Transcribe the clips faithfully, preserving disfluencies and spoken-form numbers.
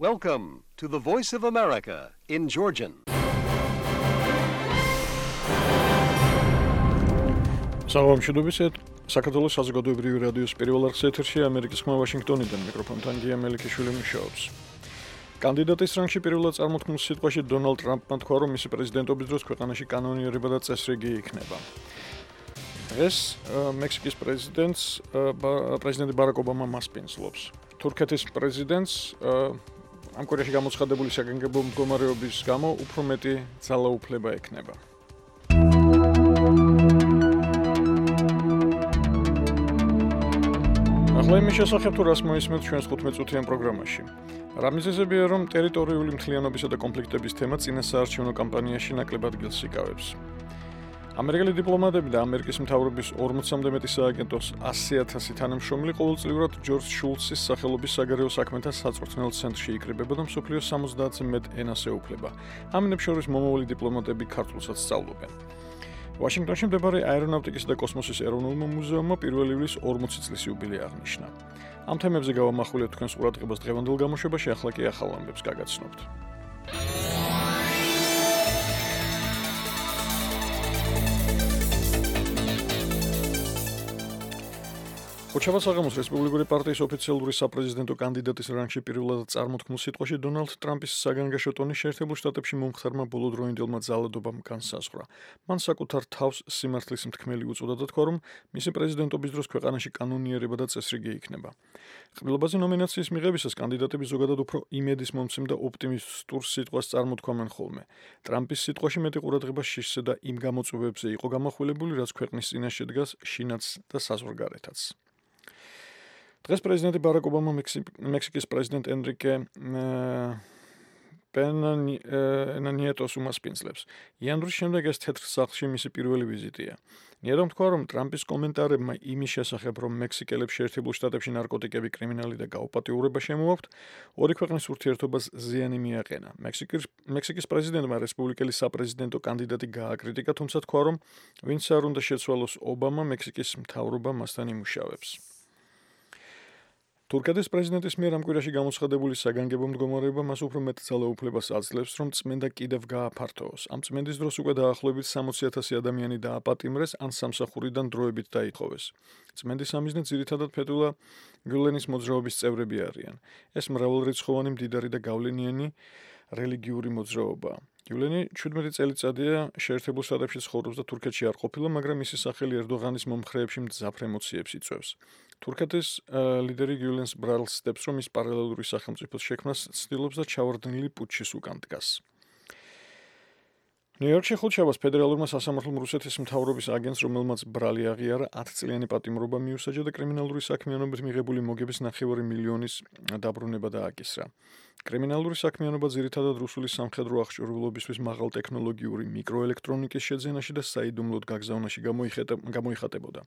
Welcome to the Voice of America in Georgian. Საღამოშიდობისეთ საქართველოს საზოგადოებრივი რადიოს პირველ არხის ეთერში ამერიკის ხმა ვაშინგტონიდან მიკროფონთან გია მელიქიშვილი მუშაობს. კანდიდატის რანგში პირველად წარმოთქმულ სიტყვაში დონალდ ტრამპმა თქვა, რომ მისი პრეზიდენტობის დროს ქვეყანაში კანონიერება და წესრიგი იქნება. ეს მექსიკის პრეზიდენტს პრეზიდენტი ბარაკ ობამა მასპინძლობს. თურქეთის პრეზიდენტს ამ კვირაში გამოცხადებული საგანგებო მდგომარეობის გამო უფრო მეტი ძალაუფლება ექნება. ახლა იმის შესახებ თუ რას მოისმენთ ჩვენს თხუთმეტ-წუთიან პროგრამაში. რა მიზეზებია, რომ ტერიტორიული მთლიანობისა და კონფლიქტების თემა წინასაარჩევნო კამპანიაში ნაკლებად ადგილს იკავებს? ამერიკელი დიპლომატები და ამერიკის მთავრობის ორმოცამდე მეტი სააგენტოს ასი ათასი თანამშრომელი ყოველწლიურად ჯორჯ შულცის სახელობის საგარეო საქმეთა საწვრთნელ ცენტრში იკრიბება და მსოფლიოს სამოცდაათზე მეტ ენას ეუფლება. ამნებს შორის მომავალი დიპლომატები ქართულსაც სწავლობენ. ვაშინგტონში მდებარე აერონავტიკის და კოსმოსის ეროვნულმა მუზეუმმა პირველი ივლის ორმოცი წლის იუბილე აღნიშნა. ამ თემებზე გავამახვილებთ თქვენს ყურადღებას დღევანდელ გამოშვებაში, ახლა კი ახალ ამბებს გაგაცნობთ. ოჩავა საღამოს რესპუბლიკური პარტიის ოფიციალური საპრეზიდენტო კანდიდატის რანგში პირველად წარმოთქმულ სიტყვაში დონალდ ტრამპის საგანგაშო ტონი შეერთებულ შტატებში მომხდარმა ბოლოდროინდელმა ძალადობამ განსაზღვრა. მან საკუთარ თავს სიმართლის მთქმელი უწოდა და თქვა, რომ მისი პრეზიდენტობის დროს ქვეყანაში კანონიერება და წესრიგი იქნება. ყრილობაზე ნომინაციის მიღებისას კანდიდატები ზოგადად უფრო იმედის მომცემ და ოპტიმისტურ სიტყვას წარმოთქვამენ ხოლმე. ტრამპის სიტყვაში მეტი ყურადღება შიშზე და იმ გამოწვევებზე იყო გამახვილებული, რაც ქვეყნის წინაშე დგას შინაც და საზღვარგარეთაც. დღეს პრეზიდენტი ბარაკ ობამა მექსიკის პრეზიდენტ ენრიკე პენა ნიეტოს უმასპინძლებს. იანვრის შემდეგ ეს თეთრ სახლში მისი პირველი ვიზიტია. ნიეტომ თქვა, რომ ტრამპის კომენტარებმა იმის შესახებ, რომ მექსიკელებს შეერთებულ შტატებში ნარკოტიკები, კრიმინალი და გაუპატიურება შემოაქვთ, ორი ქვეყნის ურთიერთობას ზიანი მიაყენა. მექსიკის პრეზიდენტმა რესპუბლიკელი საპრეზიდენტო კანდიდატი გააკრიტიკა, თუმცა თქვა, რომ ვინც არ უნდა შეცვალოს ობამა, მექსიკის მთავრობა მასთან იმუშავებს. თურქეთის პრეზიდენტის მიერ ამ კვირაში გამოცხადებული საგანგებო მდგომარეობა მას უფრო მეტ ძალაუფლებას აძლევს, რომ წმენდა კიდევ გააფართოოს. ამ წმენდის დროს უკვე დაახლოებით სამოცი ათასი ადამიანი დააპატიმრეს ან სამსახურიდან დროებით დაითხოვეს. წმენდის ამიზნე ძირითადად ფეტულა გულენის მოძრაობის წევრები არიან. ეს მრავალრიცხოვანი, მდიდარი და გავლენიანი რელიგიური მოძრაობაა. გულენი შვიდმეტი წელიწადია შეერთებულ შტატებში ცხოვრობს და თურქეთში არ ყოფილა, მაგრამ მისი სახელი ერდოღანის მომხრეებში მძაფრ ემოციებს იწვევს. თურქეთის ლიდერი გულენს ბრალს ცდებს, რომ ის პარალელური სახელმწიფოს შექმნას ცდილობს და ჩავარდნილი პუტჩის უკან დგას. ნიუ-იორკში ხუთშაბათს ფედერალურმა სასამართლომ რუსეთის მთავრობის აგენტს, რომელმაც ბრალი აღიარა, ათწლიანი პატიმრობა მიუსაჯა და კრიმინალური საქმიანობით მიღებული მოგების ნახევარი მილიონის დაბრუნება დააკისრა. კრიმინალური საქმიანობა ძირითადად რუსული სამხედრო აღჭურვილობისთვის მაღალტექნოლოგიური მიკროელექტრონიკის შეძენაში და საიდუმლოდ გაგზავნაში გამოიხატებოდა.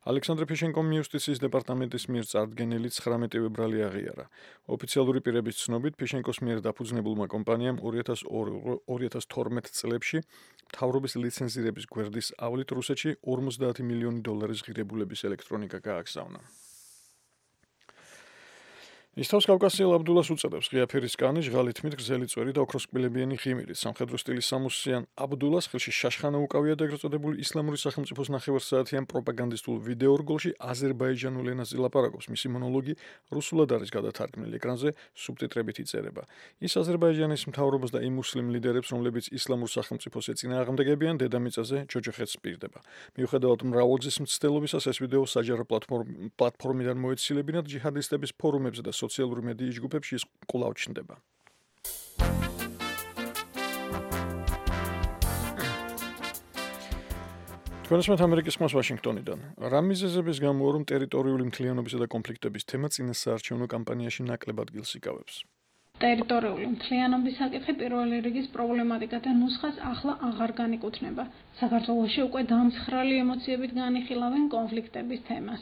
ალექსანდრე ფიშენკომ იუსტიციის დეპარტამენტის მიერ წარდგენილი ცხრამეტივე ბრალი აღიარა. ოფიციალური პირების ცნობით, ფიშენკოს მიერ დაფუძნებულმა კომპანიამ ორი ათას თორმეტ წლებში მთავრობის ლიცენზირების გვერდის ავლით რუსეთში ორმოცდაათი მილიონი დოლარის ღირებულების ელექტრონიკა გააგზავნა. ის თავს კავკასიელ აბდულას უწოდებს ღია ფერის კანი, ჟღალი თმით, გრძელი წვერი და ოქროსკბილებიანი ღიმილით. სამხედრო სტილის სამოსიან აბდულას ხელში შაშხანა უკავია და ეგრეთ წოდებული ისლამური სახელმწიფოს ნახევარსაათიან პროპაგანდისტულ ვიდეორგოლში აზერბაიჯანულ ენაზე ლაპარაკობს. მისი მონოლოგი რუსულად არის გადათარგმნილი, ეკრანზე სუბტიტრებით იწერება. ის აზერბაიჯანის მთავრობას და იმ მუსლიმ ლიდერებს, რომლებიც ისლამურ სახელმწიფოს ეწინააღმდეგებიან, დედამიწაზე ჯოჯოხეთს პირდება. მიუხედავად მრავალგზის მცდელობისას, ეს ვიდეო საჯარო პლატფორმიდან მოეცილებინათ ჯიჰადისტების ფორუმებზე და სოციალური მედიის ჯგუფებში ის კვლავ ჩნდება. თქვენსმეთ ამერიკის ხმას ვაშინგტონიდან. რა მიზეზების გამო, რომ ტერიტორიული მთლიანობისა და კონფლიქტების თემა წინასაარჩევნო კამპანიაში ნაკლებად ადგილს იკავებს? ტერიტორიული მთლიანობის საკითხი პირველი რიგის პრობლემატიკათა ნუსხას ახლა აღარ განეკუთვნება. საქართველოში უკვე დამცხრალი ემოციებით განიხილავენ კონფლიქტების თემას.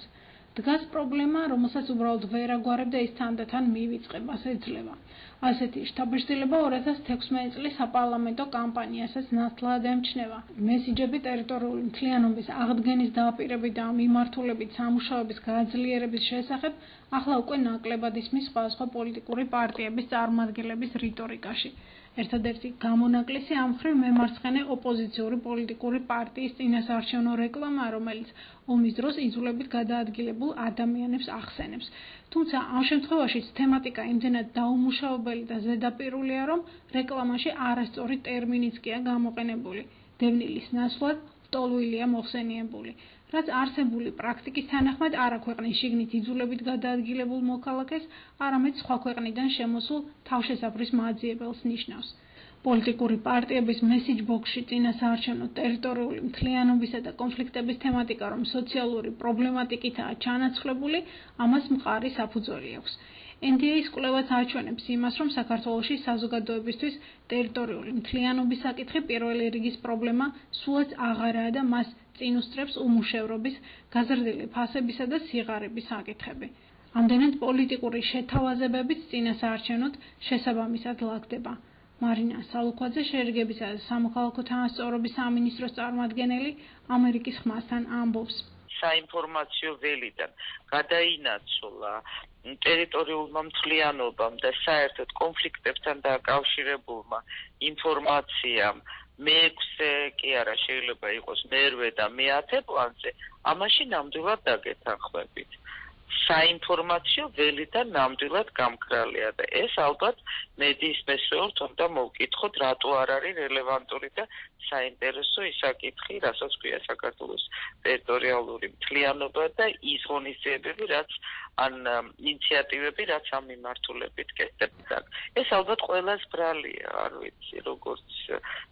დგას პრობლემა, რომელსაც უბრალოდ ვერ აგვარებ და ის თანდათან მივიწყებას ეძლევა. ასეთი შთაბეჭდილება ორი ათას თექვსმეტი წლის საპარლამენტო კამპანიასაც ნათლად ემჩნევა. მესიჯები ტერიტორიული მთლიანობის აღდგენის დაპირებით და მიმართულებით სამუშაოების გაძლიერების შესახებ ახლა უკვე ნაკლებად ისმის სხვადასხვა პოლიტიკური პარტიების წარმომადგენლების რიტორიკაში. ერთადერთი გამონაკლისი ამ მხრივ მემარცხენე ოპოზიციური პოლიტიკური პარტიის წინასაარჩევნო რეკლამა, რომელიც ომის დროს იძულებით გადაადგილებულ ადამიანებს ახსენებს. თუმცა ამ შემთხვევაშიც თემატიკა იმდენად დაუმუშავებელი და ზედაპირულია, რომ რეკლამაში არასწორი ტერმინიცკია გამოყენებული. დევნილის ნაცვლად ლტოლვილია მოხსენიებული. რაც არსებული პრაქტიკის თანახმად არა ქვეყნის შიგნით იძულებით გადაადგილებულ მოქალაქეს, არამედ სხვა ქვეყნიდან შემოსულ თავშესაფრის მაძიებელს ნიშნავს. პოლიტიკური პარტიების მესიჯ ბოქსში წინასაარჩევნო ტერიტორიული მთლიანობისა და კონფლიქტების თემატიკა, რომ სოციალური პრობლემატიკითაა ჩანაცვლებული, ამას მყარი საფუძველი აქვს. N D A-ის კვლევაც აჩვენებს იმას, რომ საქართველოში საზოგადოებისთვის ტერიტორიული მთლიანობის საკითხი პირველი რიგის პრობლემა სულაც აღარაა და მას წინ უსწრებს უმუშევრობის, გაზრდილი ფასებისა და სიღარიბის საკითხები. ამდენად პოლიტიკური შეთავაზებებით წინასაარჩევნოდ შესაბამისად ლაგდება. მარინა სალუქვაძე, შეერგებისა და სამოქალაქო თანასწორობის სამინისტროს წარმომადგენელი, ამერიკის ხმასთან ამბობს. საინფორმაციო ველიდან გადაინაცვლა ტერიტორიულმა მთლიანობამ და საერთოდ კონფლიქტებთან დაკავშირებულმა ინფორმაციამ მეექვსე კი არა შეიძლება იყოს მერვე და მეათე პლანზე, ამაში ნამდვილად დაგეთანხმებით. საინფორმაციო ველიდან ნამდვილად გამკრალია და ეს ალბათ მედიის მესვეურთ უნდა მოვკითხოთ, რატო არ არის რელევანტური და საინტერესო ის საკითხი, რასაც ქვია საქართველოს ტერიტორიალური მთლიანობა და ის ღონისძიებები, რაც ან ინიციატივები, რაც ამ მიმართულებით კეთდება. ეს ალბათ ყველას ბრალია, არ ვიცი, როგორც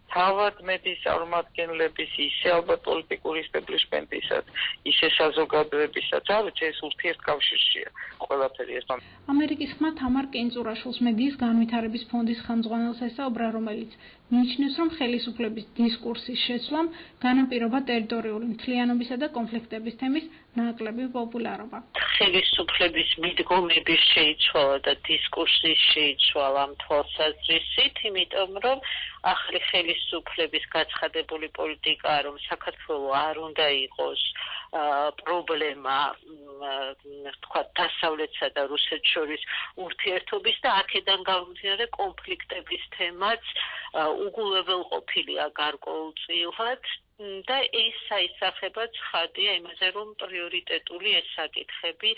თავად მედიის წარმომადგენლების, ისე ალბათ პოლიტიკური ისტებლიშმენტისაც, ისე საზოგადოებისაც, არ ვიცი, ეს ურთიერთკავშირშია ყველაფერი ეს. ამერიკის ხმა თამარ კენწურაშვილს მედიის განვითარების ფონდის ხელმძღვანელს ესაუბრა, რომელიც მიიჩნევს, რომ ხელისუფლების დისკურსის შეცვლამ განაპირობა ტერიტორიული მთლიანობისა და კონფლიქტების თემის ნაკლები პოპულარობა. ხელისუფლების მიდგომების შეიცვალა და დისკურსის შეიცვალა ამ თვალსაზრისით, იმიტომ რომ ახალი ხელისუფლების გაცხადებული პოლიტიკა, რომ საქართველო არ უნდა იყოს პრობლემა, თქვა დასავლეთსა და რუსეთს შორის ურთიერთობის და აქედან გამომდინარე კონფლიქტების თემაც უგულებელყოფილია გარკვეულწილად და ეს საისახება ცხადია იმაზე, რომ პრიორიტეტული ეს საკითხები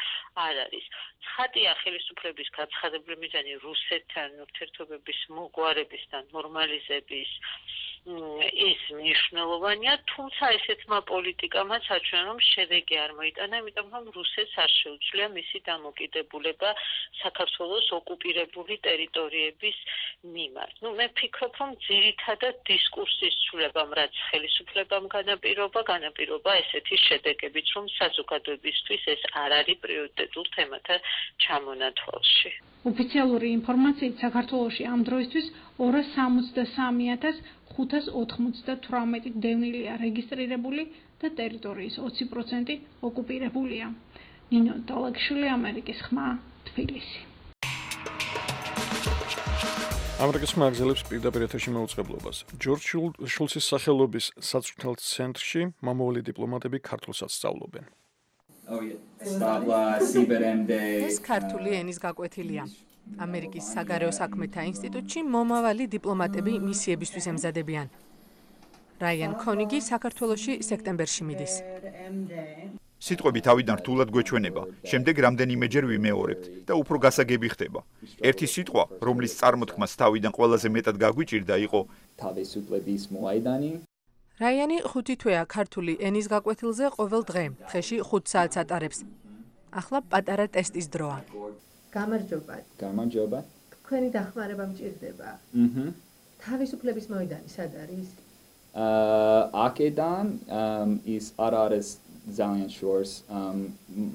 არ არის. ცხადია ხელისუფლების გაცხადებული მიზანი რუსეთთან ურთიერთობების მოგვარების და ნორმალიზების ის მნიშვნელოვანია, თუმცა ესეთმა პოლიტიკამაც აჩვენა, რომ შედეგი არ მოიტანა, იმიტომ რომ რუსეთს არ შეუძლია მისი დამოკიდებულება საქართველოს ოკუპირებული ტერიტორიების მიმართ. ნუ მე ვფიქრობ, რომ ძირითადად დისკურსის ცვლილებამ, რაც ხელისუფლებამ განაპირობა, განაპირობა ესეთი შედეგებით, რომ საზოგადოებისთვის ეს არ არის პრიორიტეტულ თემათა ჩამონათვალში. ოფიციალური ინფორმაციით საქართველოში ამ დროისთვის ორას სამოცდასამი ათას ხუთას ოთხმოცდათვრამეტი დევნილია რეგისტრირებული და ტერიტორიის ოცი პროცენტი ოკუპირებულია. ნინო დოლაგშვილი, ამერიკის ხმა, თბილისი. ამერიკის ხმა აგზელებს პირდაპირ ეთერში მოუწყებლობას. ჯორჯ შულცის სახელობის საწვრთნელ ცენტრში მამოვლი დიპლომატები ქართულსაც სწავლობენ. ეს ქართული ენის გაკვეთილია. ამერიკის საგარეო საქმეთა ინსტიტუტში მომავალი დიპლომატები მისიებისთვის ემზადებიან. რაიან ქონიგი საქართველოში სექტემბერში მიდის. სიტყვები თავიდან რთულად გვეჩვენება, შემდეგ რამდენიმეჯერ ვიმეორებთ და უფრო გასაგები ხდება. ერთი სიტყვა, რომლის წარმოთქმას თავიდან ყველაზე მეტად გაგვიჭირდა, იყო თავისუფლების მოედანი. რაიანი ხუთი თვეა ქართული ენის გაკვეთილზე ყოველ დღე, დღეში ხუთ საათს ატარებს. ახლა პატარა ტესტის დროა. გამარჯობა. გამარჯობა. თქვენი დახმარება მჭირდება. აჰა. თავისუფლების მოედანი სად არის? აა აქედან ის არ არის ძალიან შორს,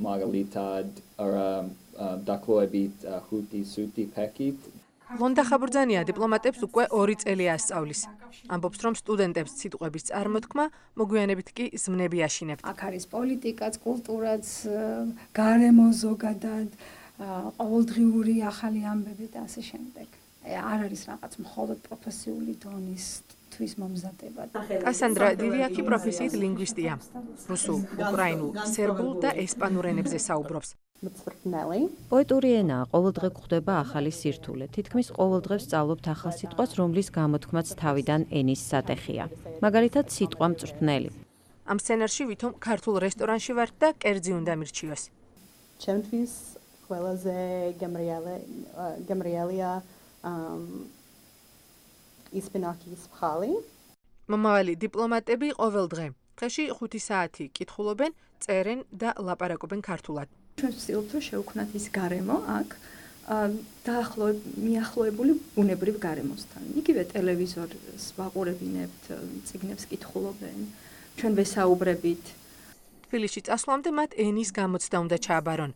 მაგალითად არა დაკლოებით ხუთი სუთი პაკეტ. ლონდა ხაბურძანია დიპლომატებს უკვე ორი წელი ასწავლის. ამბობს, რომ სტუდენტებს სიტყვების წარმოთქმა მოგვიანებით კი ზმნები აშინებთ. აქ არის პოლიტიკაც, კულტურაც, გარემო ზოგადად, ყოველდღიური ახალი ამბები და ასე შემდეგ. არ არის რაღაც მხოლოდ პროფესიული დონის თვის მომზადება. კასანდრა დივიაკი პროფესიით ლინგვისტია. რუსულ, უკრაინულ, სერბულ და ესპანურ ენებზე საუბრობს. პოეტური ენაა, ყოველდღე გვხვდება ახალი სირთულე. თითქმის ყოველდღე ვსწავლობთ ახალ სიტყვას, რომლის გამოთქმაც თავიდან ენის სატეხია. მაგალითად, სიტყვა მწვრთნელი. ამ სცენარში ვითომ ქართულ რესტორანში ვართ და კერძი უნდა მირჩიოს. ჩემთვის ყველაზე გემრიელია ისპინაკის ფხალი. მომავალი დიპლომატები ყოველდღე დღეში ხუთი საათი კითხულობენ, წერენ და ლაპარაკობენ ქართულად. ჩვენ ვცდილობთ, რომ შევქმნათ ის გარემო აქ დაახლოებით მიახლოებული ბუნებრივ გარემოსთან. იგივე ტელევიზორს ვაყურებინებთ, წიგნებს კითხულობენ, ჩვენ ვესაუბრებით. თბილისში წასვლამდე მათ ენის გამოცდა უნდა ჩააბარონ.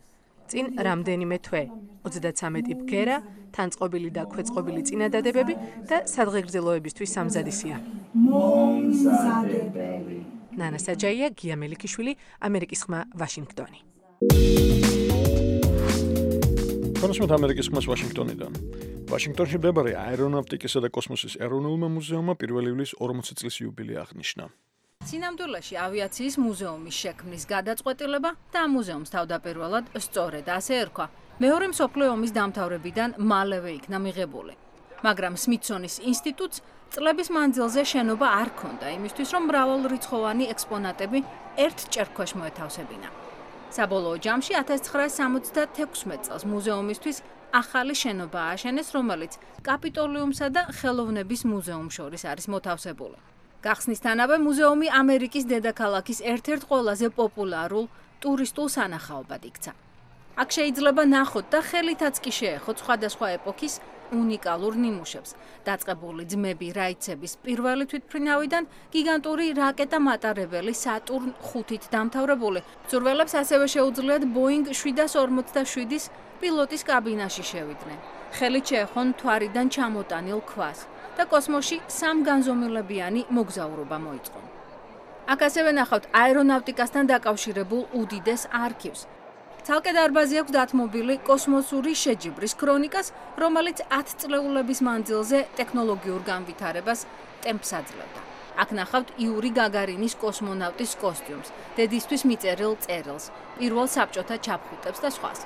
წინ რამდენიმე თვე, ოცდაცამეტი ბგერა, თანწყობილი და ქვეწყობილი წინადადებები და სადღეგრძელოებისთვის სამზადისია. მომზადებელი. ნანა საჯაია, გია მელიქიშვილი, ამერიკის ხმა, ვაშინგტონი. კონსმოთ ამერიკის ხმას ვაშინგტონიდან. ვაშინგტონში მდებარე აერონავტიკისა და კოსმოსის ეროვნულმა მუზეუმმა პირველი ივლისის ორმოცი წლის იუბილეა აღნიშნა. სინამდვილეში ავიაციის მუზეუმის შექმნის გადაწყვეტილება და მუზეუმს თავდაპირველად სწორედ ასე ერქვა. მეორე მსოფლიო ომის დამთავრებიდან მალევე იქნა მიღებული. მაგრამ სმითსონის ინსტიტუტს წლების მანძილზე შენობა არ ჰქონდა იმისთვის, რომ მრავალრიცხოვანი ექსპონატები ერთ ჭერქვეშ მოეთავსებინა. საბოლოო ჯამში ათას ცხრაასი სამოცდათექვსმეტ წელს მუზეუმისთვის ახალი შენობა ააშენეს, რომელიც კაპიტოლიუმსა და ხელოვნების მუზეუმს შორის არის მოთავსებული. გახსნისთანავე მუზეუმი ამერიკის დედაქალაქის ერთ-ერთ ყველაზე პოპულარულ ტურისტულ სანახაობად იქცა. აქ შეიძლება ნახოთ და ხელითაც კი შეეხოთ სხვადასხვა ეპოქის უნიკალურ ნიმუშებს, დაწყებული ძმები რაიცების პირველი თვითმფრინავიდან გიგანტური რაკეტა მატარებელი სატურნ ხუთით დამთავრებული. მცურველებს ასევე შეუძლიათ ბოინგ შვიდას ორმოცდაშვიდის პილოტის კაბინაში შევიდნენ. ხელით შეეხონ მთვარიდან ჩამოტანილ ქვას და კოსმოსში სამგანზომილებიანი მოგზაურობა მოიწყო. აქ ასევე ნახავთ აერონავტიკასთან დაკავშირებულ უდიდეს არქივს. ცალკე დარბაზი აქვს დათმობილი კოსმოსური შეჯიბრის ქრონიკას, რომელიც ათწლეულების მანძილზე ტექნოლოგიურ განვითარებას ტემპს აძლევდა. აქ ნახავთ იური გაგარინის კოსმონავტის კოსტიუმს, დედისთვის მიწერილ წერილს, პირველ საბჭოთა ჩაფხუტებს და სხვას.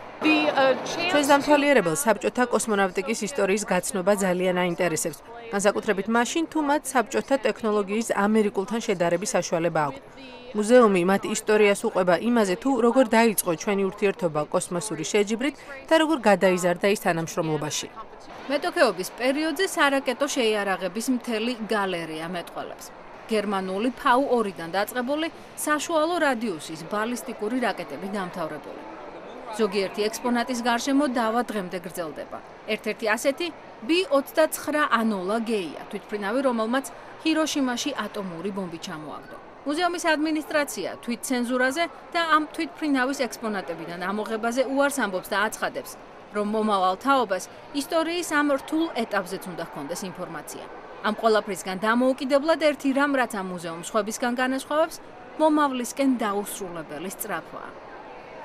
ჩვენს დამთვალიერებელს საბჭოთა კოსმონავტიკის ისტორიის გაცნობა ძალიან აინტერესებს, განსაკუთრებით მაშინ, თუ მათ საბჭოთა ტექნოლოგიის ამერიკულთან შედარების საშუალება აქვთ. მუზეუმი მათ ისტორიას უყვება იმაზე, თუ როგორ დაიწყო ჩვენი ურთიერთობა კოსმოსური შეჯიბრით და როგორ გადაიზარდა ის თანამშრომლობაში. მეტოქეობის პერიოდზე სარაკეტო შეიარაღების მთელი გალერეა მეტყველებს. გერმანული ფაუ ორიდან დაწყებული საშუალო რადიუსის ბალისტიკური რაკეტები დამთავრებული. ზოგიერთი ექსპონატის გარშემო დავა დღემდე გრძელდება. ერთ-ერთი ასეთი ბი ოცდაცხრა ანოლა გეია, თვითმფრინავი, რომელმაც ჰიროშიმაში ატომური ბომბი ჩამოაგდო. მუზეუმის ადმინისტრაცია თვითცენზურაზე და ამ თვითმფრინავის ექსპონატებიდან ამოღებაზე უარს ამბობს და აცხადებს, რომ მომავალ თაობას ისტორიის ამ რთულ ეტაპზეც უნდა ჰქონდეს ინფორმაცია. ამ ყველაფრისგან დამოუკიდებლად ერთი რამ, რაც ამ მუზეუმს სხვებისგან განასხვავებს, მომავლისკენ დაუსრულებელი სწრაფვაა.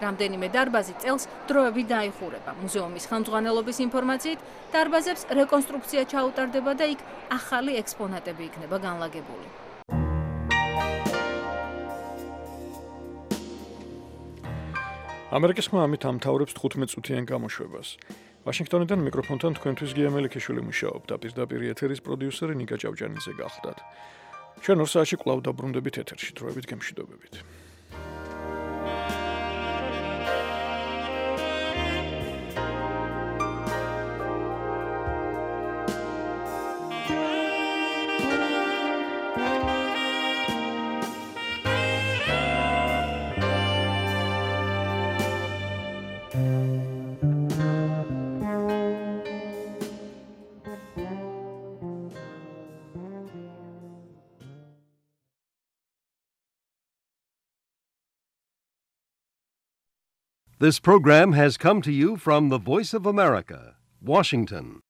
რამდენიმე დარბაზი წელს დროებით დაიხურება. მუზეუმის ხელმძღვანელობის ინფორმაციით, დარბაზებს რეკონსტრუქცია ჩაუტარდება და იქ ახალი ექსპონატები იქნება განლაგებული. ამერიკის ხმა ამით ამთავრებს თხუთმეტ წუთიან გამოშვებას. ვაშინგტონიდან მიკროფონთან თქვენთვის გია მელიქიშვილი მუშაობდა, პირდაპირ ეთერის პროდიუსერი ნიკა ჭავჭანიძე გახლდათ. ჩვენ ორ საათში კვლავ დაბრუნდებით ეთერში, დროებით გემშვიდობებით. This program has come to you from the Voice of America, Washington.